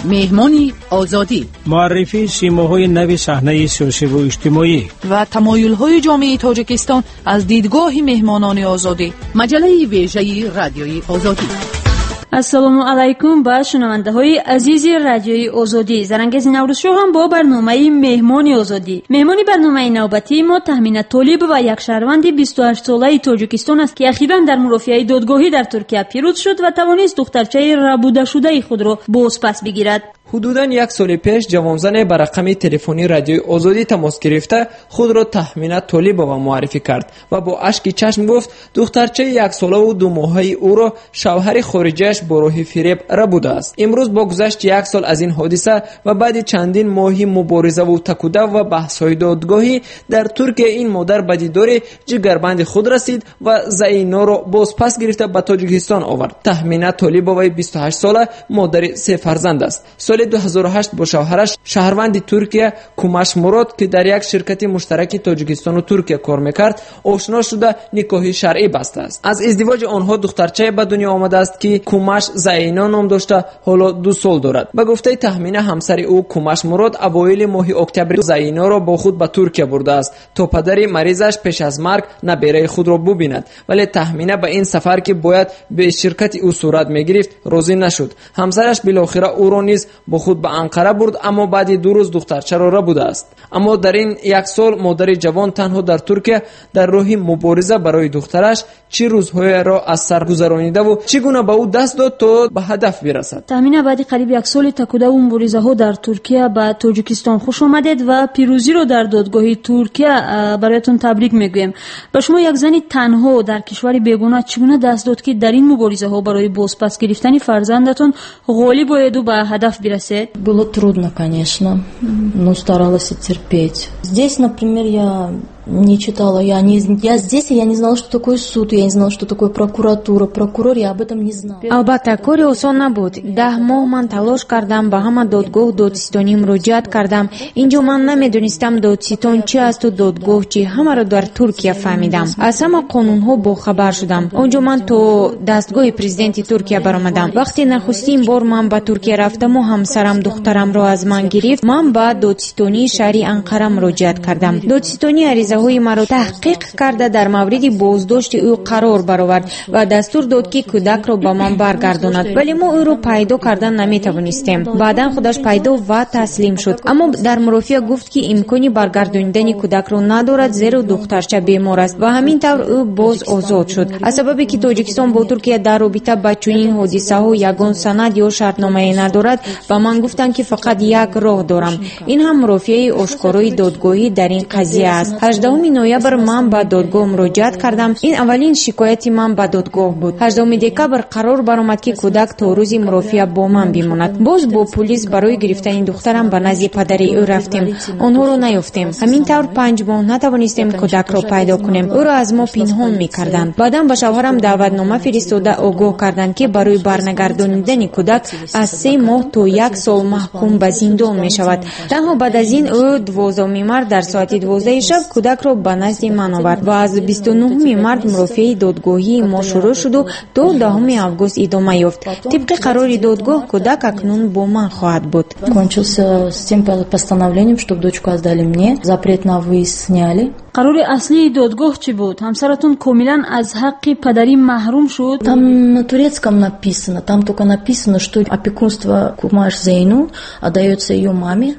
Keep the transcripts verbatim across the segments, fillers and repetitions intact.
Меҳмони Озодӣ. Муаррифии симоҳои нави саҳнаи сиёсиву иҷтимоӣ ва тамоюлҳои ҷомеаи Тоҷикистон аз дидгоҳи меҳмонони Озодӣ. Маҷаллаи вежаи Радиои Озодӣ. Ассалому алайкум ба шунавандаҳои азизи Радиои Озодӣ. Зарангези Наврӯзшоҳам бо барномаи Меҳмони Озодӣ. Меҳмони барномаи навбатии мо Таҳмина Толибова, як шаҳрванди бисту ҳашт солаи Тоҷикистон аст, ки ахиран дар мурофиаи додгоҳӣ дар Туркия пирӯз шуд ва тавонист духтарчаи рабудашудаи худро бозпас бигирад. Ҳудудан як соли пеш ҷавонзане ба рақами телефони Радиои Озодӣ тамос гирифта, худро Таҳмина Толибова муаррифӣ кард ва бо ашки чашм гуфт, духтарчаи яксолаву думоҳаи ӯро шавҳари хориҷиаш бо роҳи фиреб рабудааст. Имрӯз бо гузашти як сол аз ин ҳодиса ва баъди чандин моҳи муборизаву такудав ва баҳсҳои додгоҳӣ дар Туркия, ин модар ба дидори ҷигарбанди худ расид ва Зайноро бозпас гирифта, ба Тоҷикистон овард. Таҳмина Толибоваи бисту ҳашт сола модари се фарзанд аст. Соли ду ҳазору ҳашт бо шавҳараш, шаҳрванди Туркия Кумаш Мурод, ки дар як ширкати муштараки Тоҷикистону Туркия кор мекард, ошно шуда, никоҳи шаръӣ бастааст. Аз издивоҷи онҳо духтарчае ба дунё омадааст, ки Кумаш Зайно ном дошта, ҳоло ду сол дорад. Ба гуфтаи Таҳмина, ҳамсари ӯ Кумаш Мурод авоили моҳи октябри Зайноро бо худ ба Туркия бурдааст, то падари маризаш пеш аз марг набераи худро бубинад. Вале Таҳмина ба ин сафар, ки бояд беширкати ӯ сурат мегирифт, розӣ нашуд. Ҳамсараш билохира ӯро низ бо худ ба Анқара бурд, аммо баъди ду рӯз духтарчаро рабудааст. Аммо дар ин як сол модари ҷавон танҳо дар Туркия дар роҳи мубориза барои духтараш чӣ рӯзҳоеро аз сар гузаронидаву чӣ гуна ба ӯ даст дод, то ба ҳадаф бирасад? Таҳмина, баъди қариб як соли такудаву муборизаҳо дар Туркия ба Тоҷикистон хуш омадед ва пирӯзиро дар додгоҳи Туркия бароятон табрик мегӯем. Ба шумо, як зани танҳо дар кишвари бегона, чӣ гуна даст дод, ки дар ин муборизаҳо барои бозпас гирифтани фарзандатон ғолиб оеду ба ҳадаф бирасед? Было трудно, конечно, но старалась терпеть. Здесь, например, я не читала, я не, я здесь, я не знала, что такое суд, я не знала, что такое прокуратура, прокурор, я об этом не знала. Албатта, кори осон набуд. Даҳ моҳ ман талош кардам, ба ҳама додгоҳ, додситонӣ муроҷиат кардам. Инҷо ман намедонистам, додситон чи асту додгоҳ чи. Ҳамаро дар Туркия фаҳмидам, аз ҳама қонунҳо бохабар шудам. Он ҷо ман то дастгоҳи президенти Туркия баромадам. Вақте нахустин бор ман ба Туркия рафтаму ҳамсарам духтарамро аз ман гирифт, ман ба додситонии шаҳри Анқара муроҷиат кардам. Додситонӣ аризаҳои маро таҳқиқ карда, дар мавриди боздошти ӯ қарор баровард ва дастур дод, ки кӯдакро ба ман баргардонад. Вале мо ӯро пайдо кардан наметавонистем. Баъдан худаш пайдо ва таслим шуд, аммо дар мурофиа гуфт, ки имкони баргардонидани кӯдакро надорад, зеро духтарча бемор аст, ва ҳамин тавр ӯ боз озод шуд. Аз сабабе ки Тоҷикистон бо Туркия дар робита ба чунин ҳодисаҳо ягон санад ё шартномае надорад, ба ман гуфтанд, ки фақат як роҳ дорам, ин ҳам мурофиаи ошкорои додгоҳӣ дар ин қазия аст. Ҳаждаҳуми ноябр ман ба додгоҳ муроҷиат кардам. Ин аввалин шикояти ман ба додгоҳ буд. Ҳаждаҳуми декабр қарор баромад, ки кӯдак то рӯзи мурофиа бо ман бимонад. Боз бо пулис барои гирифтани духтарам ба назди падари ӯ рафтем, онҳоро наёфтем. Ҳамин тавр панҷ моҳ натавонистем кӯдакро пайдо кунем, ӯро аз мо пинҳон мекарданд. Баъдан ба шавҳарам даъватнома фиристода, огоҳ карданд, ки барои барнагардонидани кӯдак аз се моҳ то як сол маҳкум ба зиндон мешавад. Танҳо баъд аз ин ӯ дувоздаҳуми март дар соати дувоздаҳи шаб кӯдакро ба назди ман овард ва аз бисту нуҳуми март мурофиаи додгоҳии мо шурӯъ шуду то даҳуми август идома ёфт. Тибқи қарори додгоҳ, кӯдак акнун бо ман хоҳад буд. Кончился с тем постановлением, чтобы дочку отдали мне, запрет на выезд сняли. Қарори аслии додгоҳ чӣ буд? Ҳамсаратон комилан аз ҳаққи падарӣ маҳрум шуд? Там на турецком написано, там только написано, что опекунство Кумаш Зейну отдается ее маме.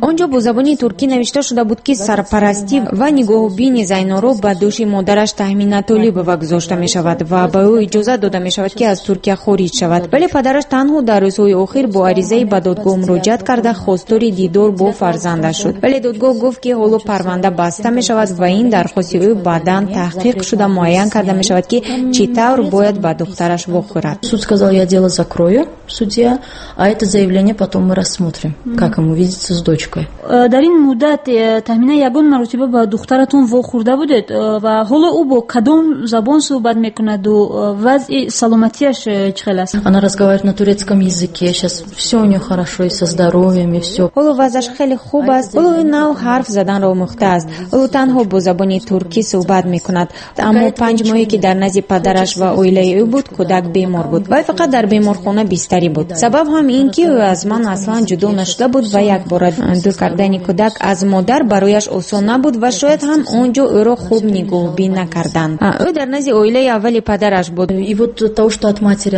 Он ҷо бо забони туркӣ навишта шуда буд, ки сарпарастӣ ва нигоҳубини Зайноро ба дӯши модараш Таҳмина Толибова гузошта мешавад ва ба ӯ иҷозат дода мешавад, ки аз Туркия хориҷ шавад. Вале падараш танҳо дар рӯзҳои охир бо аризаи ба додгоҳ муроҷиат карда, хостори дидор бо фарзандаш шуд. Вале додгоҳ гуфт, ки ҳоло парванда баста мешавад ва ин дархости ӯ баъдан таҳқиқ шуда, муайян карда мешавад, ки чӣ тавр бояд ба духтараш вохӯрад. Суд сказал: я дело закрою, судья, а это заявление потом мы рассмотрим, как ему видеться с дочкой. Э, дар ин муддат, э, Таҳмина, ягон маротиба ба духтаратон вохӯрда будед э, ва ҳоло ӯ бо кадом забон суҳбат мекунаду вазъи саломатиаш чӣ хел аст? Она разговаривает на турецком языке, сейчас все у нее хорошо, и со здоровьем, и все. Ҳоло вазъаш хеле хуб аст. Ҳоло ӯ нав ҳарф заданро омӯхтааст. Ҳоло танҳо танҳо бо забони туркӣ суҳбат мекунад. Аммо панҷ моҳе ки дар назди падараш ва оилаи ӯ буд, кӯдак бемор буд. Вай фақат дар беморхона бистарӣ буд. Сабаб ҳам ин ки ӯ аз ман аслан ҷудо нашуда буд ва якбора дур кардани кӯдак аз модар барояш осон набуд ва шояд ҳам он ҷо ӯро хуб нигоҳубин накарданд. Ӯ дар назди оилаи аввали падараш буд. И вот того, что от матери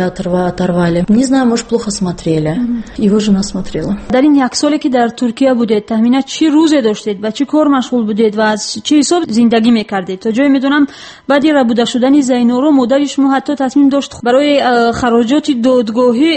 оторвали. Не знаю, может, плохо смотрели. Его жена смотрела. Дар ин як соле ки дар Туркия будед, Таҳмина, чӣ рӯзе доштед, ба чӣ кор машғул будед ва аз чӣ ҳисоб зиндагӣ мекардед? То ҷое медонам, баъди рабуда шудани Зайноро модари шумо ҳатто тасмим дошт барои хароҷоти додгоҳӣ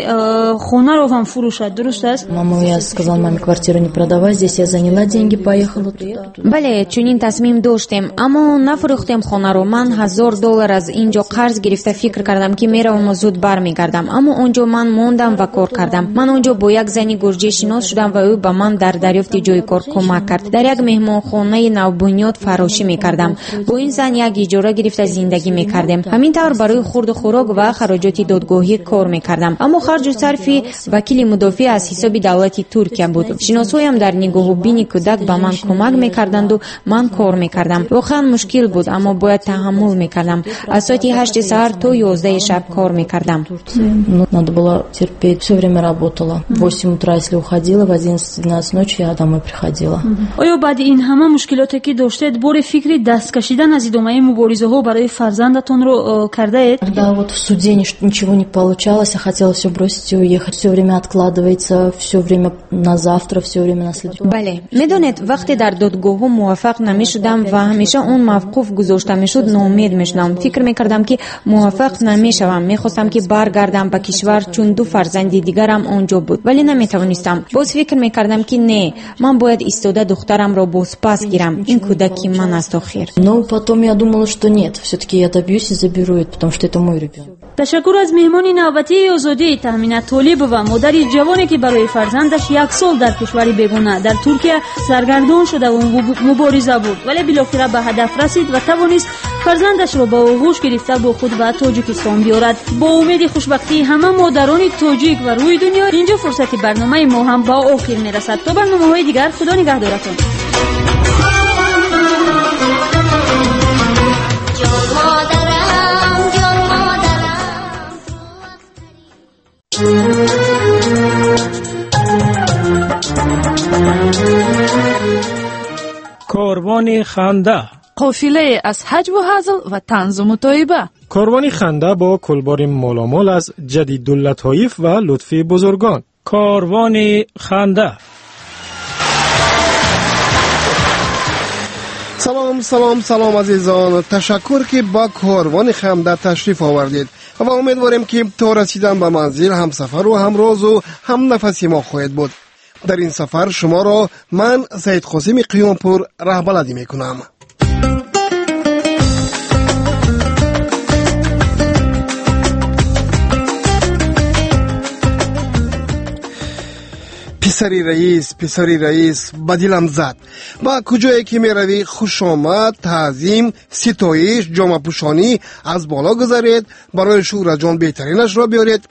хонаро ҳам фурӯшад. Дуруст аст? Мама, я сказала маме, квартиру не продавай, здесь я заняла деньги, поехала туда. Бале, чунин тасмим доштем, аммо нафурӯхтем хонаро. Ман ҳазор доллар аз ин ҷо қарз гирифта фикр кардам, ки мераваму зуд бармегардам. Аммо он ҷо ман мондам ва кор кардам. Ман он ҷо бо як зани гурҷӣ шинос шудам ва ӯ ба ман дар дарёфти ҷои кор кӯмак кард. Дар як меҳмонхонаи навбунёд фарошӣ мекардам. Бо ин зан як иҷора гирифта зиндагӣ мекардем. Ҳамин тавр барои хурду хӯрок ва хароҷоти додгоҳӣ кор мекардам. Аммо харҷу сарфи вакили мудофиъ аз ҳисоби давлати Туркия буд. Шиносҳоям дар нигоҳубини кӯдак ба ман кӯмак мекарданду ман кор мекардам. Воқеан мушкил буд, аммо бояд таҳаммул мекардам. Аз соати ҳашти саҳар то ёздаҳи шаб кор мекардам. Надо было терпеть. Все время работала. В восемь утра, если уходила, в одиннадцать-двенадцать ночи я домой приходила. Оё баъди ин ҳама мушкилоте ки доштед, бори фикри даст кашидан аз идомаи муборизаҳо барои фарзандатонро кардаед? Когда вот в суде ничего не получалось, я хотела все бросить и уехать. Все время откладывается, все время на завтра, все время на следующий. Бале, медонед, вақте дар додгоҳҳо муваффақ намешудам ва ҳамеша он мавқуф гузошта мешуд, ноумед мешудам. Фикр мекардам, ки муваффақ намешавам. Мехостам, ки баргардам ба кишвар, чун ду фарзанди дигарам он ҷо буд, вале наметавонистам. Боз фикр мекардам, ки не, ман бояд истода духтарамро бозпас гирам. Ин кӯдаки ман аст охир. Но потом я думала, что нет, все-таки я добьюсь и заберу это, потому что это мой ребенок. Ташаккур аз меҳмони навбатии Озодӣ Таҳмина Толибова, модари ҷавоне ки барои фарзандаш як сол дар кишвари бегона дар Туркия саргардон шуда ва мубориза бурд, вале билохира ба ҳадаф расид ва тавонист фарзандашро ба оғӯш гирифта бо худ ба Тоҷикистон биёрад. Бо умеди хушбахтии ҳама модарони тоҷик ва рӯи дунё, инҷо фурсати барномаи мо ҳам ба охир мерасад. То барномаҳои дигар, Худо нигаҳдоратон. Корвони ханда, қофилае аз ҳаҷву ҳазл ва танзу мутоиба. Корвони ханда бо кулбори моломол аз Ҷадидуллатоиф ва лутфи бузургон. Корвони ханда. Салом, салом, салом, азизон. Ташаккур, ки ба корвони ханда ташриф овардед ва умедворем, ки то расидан ба манзил ҳамсафару ҳамрозу ҳамнафаси мо хоҳед буд. Дар ин сафар шуморо ман, Саид Қосими Қиёмпур, раҳбаладӣ мекунам. Писари раис, писари раис, ба дилам зад. Ба куҷое ки меравӣ, хушомад, таъзим, ситоиш, ҷомапӯшонӣ, аз боло гузаред, барои шӯҳраҷон беҳтаринашро биёред.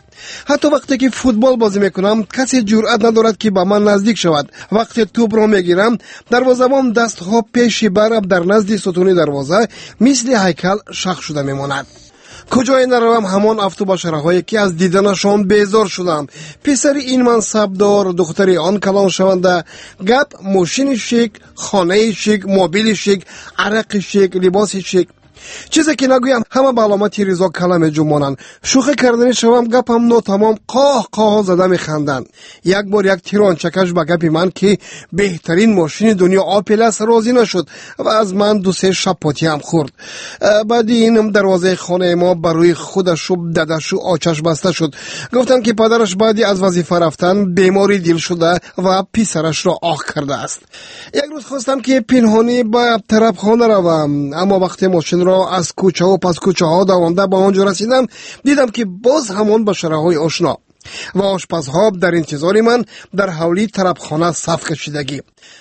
Ҳатто вақте ки футбол бозӣ мекунам, касе ҷуръат надорад, ки ба ман наздик шавад. Вақте тӯбро мегирам, дарвозабон дастҳо пеши бараб дар назди сутуни дарвоза мисли ҳайкал шах шуда мемонад. Куҷое наравам, ҳамон автобашараҳое, ки аз диданашон безор шудам. Писари ин мансабдор, духтари он калоншаванда. Гап мошини шик, хонаи шик, мобили шик, арақи шик, либоси шик. Чизе ки нагӯям, ҳама ба аломати ризо кала меҷумонанд. Шӯхӣ карданӣ шавам, гапам нотамом, қоҳ қоҳ зада механданд. Як бор як тирончакаш ба гапи ман, ки беҳтарин мошини дунё Опел аст, розӣ нашуд ва аз ман ду-се шапотиам хӯрд. Баъди ин дарвозаи хонаи мо ба рӯи худашу дадашу очаш баста шуд. Гуфтанд, ки падараш баъди аз вазифа рафтан бемори дил шуда ва писарашро оҳ кардааст. Як рӯз хостам, ки пинҳонӣ ба тарабхона равам, аммо вақте мошинро аз кӯчаву пас кӯчаҳо давонда ба он ҷо расидам, дидам, ки боз ҳамон башараҳои ошно. Ва ошпазҳо дар интизори ман дар ҳавлии тарабхона саф кашидагӣ.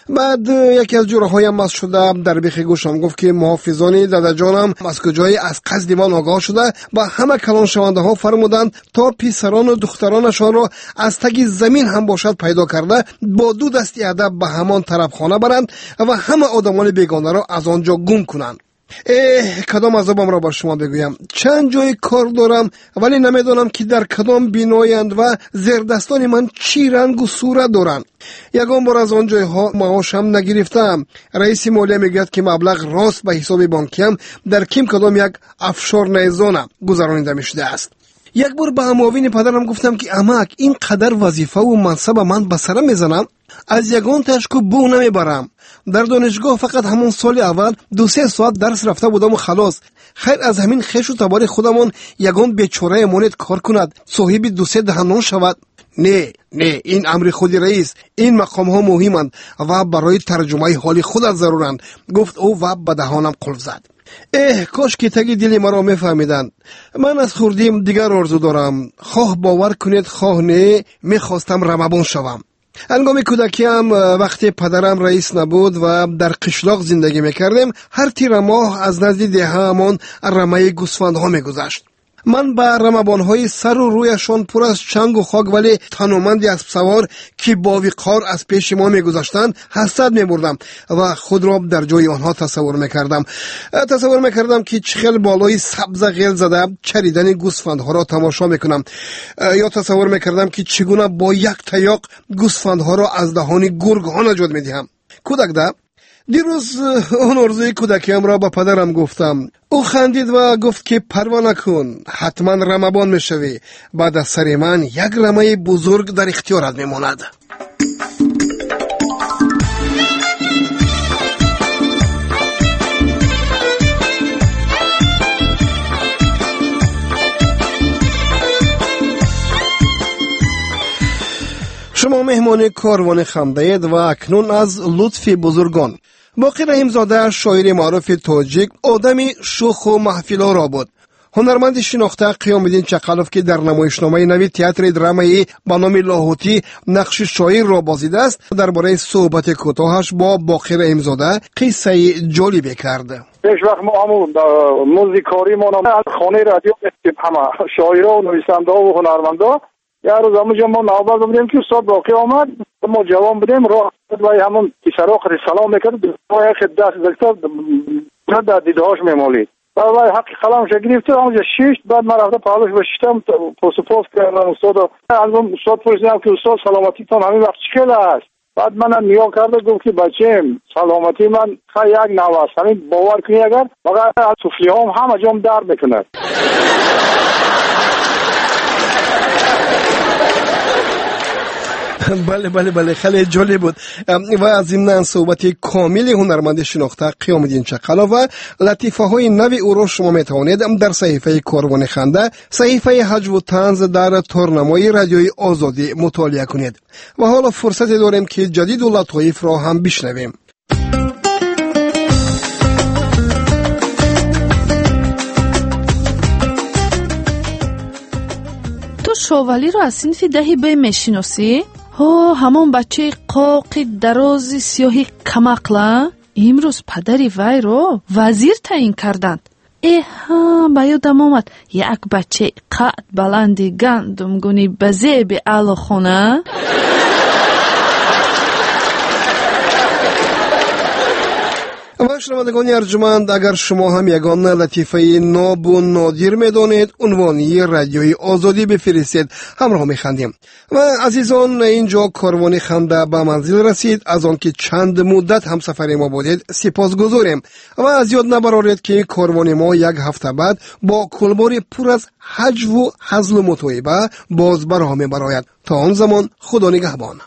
Баъд яке аз ҷураҳоям маст шуда дар бехи гӯшам гуфт, ки муҳофизони дадаҷонам аз куҷое аз қасди ман огоҳ шуда ба ҳама калоншавандаҳо фармуданд, то писарону духтаронашонро аз таги замин ҳам бошад пайдо карда бо ду дасти адаб ба ҳамон тарабхона баранд ва ҳама одамони бегонаро аз он ҷо гум кунанд. Эҳ, кадом азобамро ба шумо бигӯям? Чанд ҷои кор дорам, вале намедонам, ки дар кадом биноянд ва зердастони ман чӣ рангу сурат доранд. Ягон бор аз он ҷойҳо маошам нагирифтаам. Раиси молия мегӯяд, ки маблағ рост ба ҳисоби бонкиам дар ким кадом як офшорная зона гузаронида мешудааст. Як бор ба муовини падарам гуфтам, ки амак, ин қадар вазифаву мансаба ман ба сара мезанам, аз ягон ташку бӯ намебарам. Дар донишгоҳ фақат ҳамон соли аввал ду-се соат дарс рафта будаму халос. Хайр, аз ҳамин хешу табори худамон ягон бечорае монед кор кунад, соҳиби ду-се даҳанон шавад. Не, не, ин амри худи раис. Ин мақомҳо муҳиманд ва барои тарҷумаи ҳоли худат заруранд, гуфт ӯ ва ба даҳонам қулф зад. Эҳ, кош ки таги дили маро мефаҳмиданд. Ман аз хурдим дигар орзу дорам. Хоҳ бовар кунед, хоҳ не, мехостам рамабон шавам. Ҳангоми кӯдакиам, вақте падарам раис набуд ва дар қишлоқ зиндагӣ мекардем, ҳар тирамоҳ аз назди деҳаамон рамаи гӯсфандҳо мегузашт. Ман ба рамабонҳои сару рӯяшон пур аз чангу хок, вале таноманди аспсавор, ки бо виқор аз пеши мо мегузаштанд, ҳасрат мебурдам ва худро дар ҷои онҳо тасаввур мекардам. Тасаввур мекардам, ки чӣ хел болои сабза ғел зада чаридани гӯсфандҳоро тамошо мекунам, ё тасаввур мекардам, ки чӣ гуна бо як таёқ гӯсфандҳоро аз даҳони гургҳо наҷот медиҳам. Кӯдакда дирӯз он орзуи кӯдакиамро ба падарам гуфтам. Ӯ хандид ва гуфт, ки парво накун, ҳатман рамабон мешавӣ. Баъд аз сари ман як рамаи бузург дар ихтиёрат мемонад. Шумо меҳмони корвони хандаед ва акнун аз лутфи бузургон. Боқир Раҳимзода, шоири маъруфи тоҷик, одами шӯху маҳфилоро буд. Ҳунарманди шинохта Қиёмиддин Чақалов, ки дар намоишномаи нави театри драмаӣ ба номи Лоҳутӣ нақши шоирро бозидааст, дар бораи суҳбати кӯтоҳаш бо Боқир Раҳимзода қиссаи ҷолибе кард. Пеш вақт мо ҳамун музди коримон аз хонаи радио мефтем, ҳама шоиро, нависандаҳо ва ҳунармандо. Як рӯз ҳамонҷо мо навбат будем, ки устод Боқӣ омад. Мо ҷавон будем, роҳ вай ҳамон писаро қади салом мекард, як даст зад дар дидаҳош мемолид. Баъд вай ҳаққи қаламша гирифту ҳамонҷо шишт. Баъд ман рафта паҳлӯш бишиштам, посупос кардам устодо. Аз он устод пурсидам, ки устод, саломатитон ҳамин вақт чӣ хел аст? Баъд манам нигоҳ карда гуфт, ки бачаем, саломатии ман хай як нав аст. Ҳамин бовар кунӣ, агар фақат туфлиҳом ҳама ҷом дард мекунад. Бале, бале, бале, хеле ҷолиб буд. Ва зимнан суҳбати комили ҳунарманди шинохта Қиёмиддин Чақалов ва латифаҳои нави ӯро шумо метавонед дар саҳифаи Корвони ханда, саҳифаи ҳаҷву танз дар торнамои радиои Озодӣ мутолиа кунед. Ва ҳоло фурсате дорем, ки ҷадиду латоифро ҳам бишнавем. Ту Шовалиро аз синфи даҳи Б мешиносӣ? Ҳо, ҳамон бачаи қоқи дарози сиёҳи камақла? Имрӯз падари вайро вазир таъин карданд. Эҳа, ба ёдам омад, як бачаи қад баланди гандумгуни ба зеби аълохона. Ва шунавандагони арҷуманд, агар шумо ҳам ягон латифаи нобу нодир медонед, унвони радиои Озодӣ бифиристед, ҳамроҳ механдем. Ва азизон, инҷо корвони ханда ба манзил расид. Аз он ки чанд муддат ҳамсафари мо будед, сипосгузорем. Ва аз ёд набароред, ки корвони мо як ҳафта баъд бо кулбори пур аз ҳаҷву ҳазлу мутоиба боз ба роҳ мебарояд. То он замон Худо нигаҳбон.